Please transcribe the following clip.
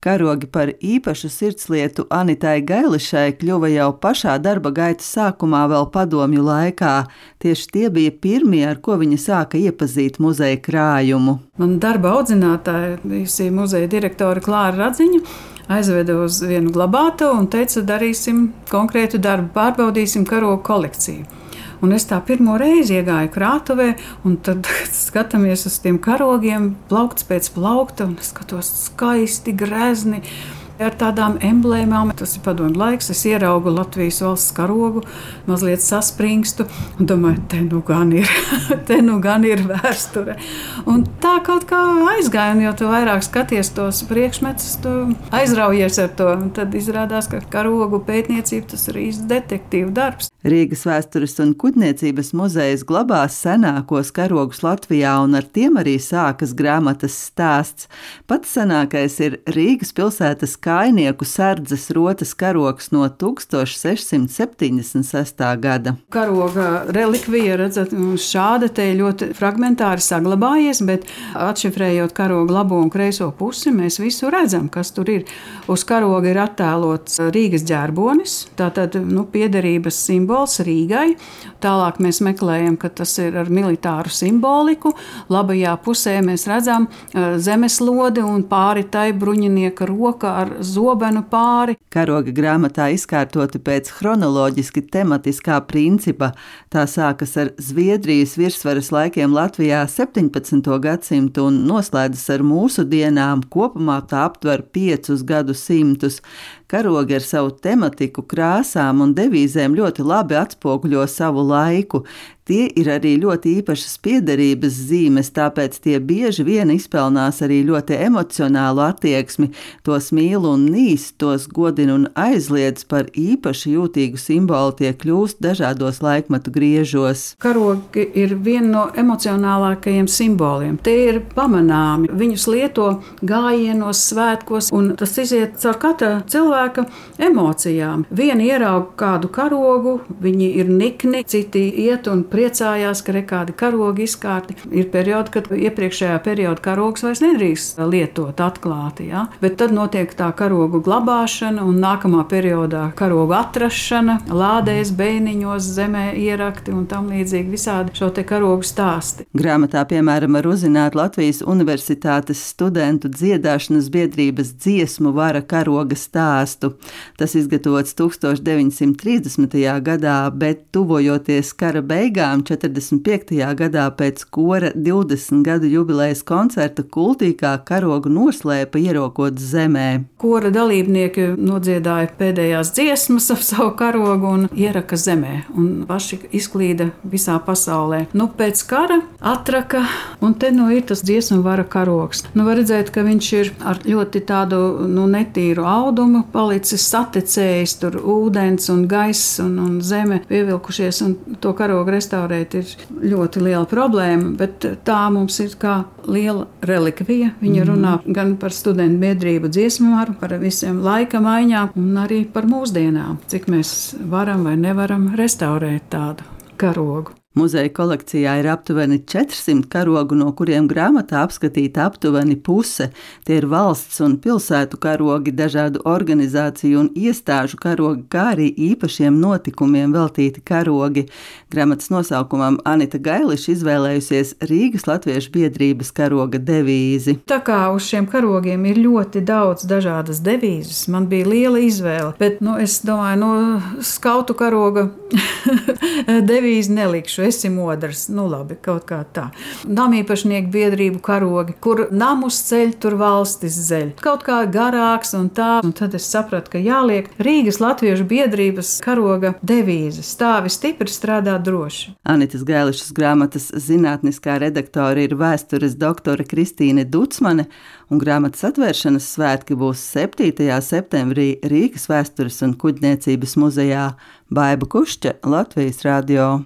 Karogi par īpašu sirdslietu Anitai Gailišai kļuva jau pašā darba gaitas sākumā vēl padomju laikā. Tieši tie bija pirmie, ar ko viņa sāka iepazīt muzeja krājumu. Man darba audzinātāja, bijusī muzeja direktore Klāra Radziņa, aizveda uz vienu glabātavu un teica, darīsim konkrētu darbu, pārbaudīsim karogu kolekciju. Un es tā pirmo reizi iegāju krātuvē, un tad skatāmies uz tiem karogiem, plaukts pēc plaukta, un es skatos skaisti, grezni, ar tādām emblēmām. Tas ir padomju laiks, es ieraugu Latvijas valsts karogu, mazliet saspringstu, un domāju, te nu gan ir vēsture. Un tā kaut kā aizgāja, un jo tu vairāk skaties tos priekšmetus, tu aizraujies ar to. Un tad izrādās, ka karogu pētniecība tas ir īsts detektīvu darbs. Rīgas vēstures un kuģniecības muzejs glabās senākos karogus Latvijā, un ar tiem arī sākas grāmatas stāsts. Pats senākais ir Rīgas pilsētas kājnieku sardzes rotas karogs no 1676. gada. Karoga relikvija, redzat, šāda te ļoti fragmentāri saglabājies, bet atšifrējot karoga labo un kreiso pusi, mēs visu redzam, kas tur ir. Uz karoga ir attēlots Rīgas ģērbonis, tātad piederības simbols Rīgai. Tālāk mēs meklējam, ka tas ir ar militāru simboliku. Labajā pusē mēs redzam zemeslodi un pāri tai bruņinieka roka ar zobenu pāri. Karoga grāmatā izkārtoti pēc chronoloģiski tematiskā principa. Tā sākas ar Zviedrijas virsvaras laikiem Latvijā 17. gadsimtu un noslēdzas ar mūsu dienām. Kopumā tā aptver 5 gadsimtus. Karogi ar savu tematiku, krāsām un devīzēm ļoti labi atspoguļo savu laiku. Tie ir arī ļoti īpašas piederības zīmes, tāpēc tie bieži vien izpelnās arī ļoti emocionālu attieksmi. Tos mīl un nīst, tos godina un aizliedz, par īpaši jūtīgu simbolu tie kļūst dažādos laikmetu griežos. Karogi ir viena no emocionālākajiem simboliem. Tie ir pamanāmi. Viņus lieto gājienos, svētkos, un tas iziet caur katra cilvēka emocijām. Vieni ieraug kādu karogu, viņi ir nikni, citi iet un priecājās, ka kādi karogi izkārti. Ir periodi, kad iepriekšējā perioda karogs vairs nedrīkst lietot atklāti. Ja? Bet tad notiek tā karogu glabāšana un nākamā periodā karogu atrašana, lādēs, beiniņos, zemē ierakti un tam līdzīgi visādi šo te karogu stāsti. Grāmatā, piemēram, var uzzināt Latvijas Universitātes studentu dziedāšanas biedrības dziesmu vara karoga stāstu. Tas izgatavots 1930. gadā, bet tuvojoties kara beigām, 45. gadā pēc kora 20 gadu jubilejas koncerta kultīgā karogu noslēpa ierokot zemē. Kora dalībnieki nodziedāja pēdējās dziesmas ap savu karogu un ieraka zemē, un paši izklīda visā pasaulē. Pēc kara atraka, un te ir tas dziesmu vara karogs. Var redzēt, ka viņš ir ar ļoti tādu netīru audumu palicis satecējis, tur ūdens un gaiss un zeme pievilkušies, un to karogu restaurēt ir ļoti liela problēma, bet tā mums ir kā liela relikvija. Viņa runā gan par studentu biedrību dziesmu varu, par visiem laika maiņām un arī par mūsdienām, cik mēs varam vai nevaram restaurēt tādu karogu. Muzeja kolekcijā ir aptuveni 400 karogu, no kuriem grāmatā apskatīta aptuveni puse. Tie ir valsts un pilsētu karogi, dažādu organizāciju un iestāžu karogi, kā arī īpašiem notikumiem veltīti karogi. Grāmatas nosaukumam Anita Gailiša izvēlējusies Rīgas Latviešu biedrības karoga devīzi. Tā kā uz šiem karogiem ir ļoti daudz dažādas devīzes, man bija liela izvēle, bet es domāju, skautu karoga devīzi nelikšu. Esi modrs, labi, kaut kā tā. Namīpašnieku biedrību karogi, kur namus ceļ, tur valstis zeļ. Kaut kā garāks un tā, un tad es sapratu, ka jāliek Rīgas Latviešu biedrības karoga devīze. Stāvi stipri, strādā droši. Anitas Gailišas grāmatas zinātniskā redaktore ir vēstures doktore Kristīne Ducmane, un grāmatas atvēršanas svētki būs 7. septembrī Rīgas vēstures un kuģniecības muzejā. Baiba Kušķa, Latvijas radio.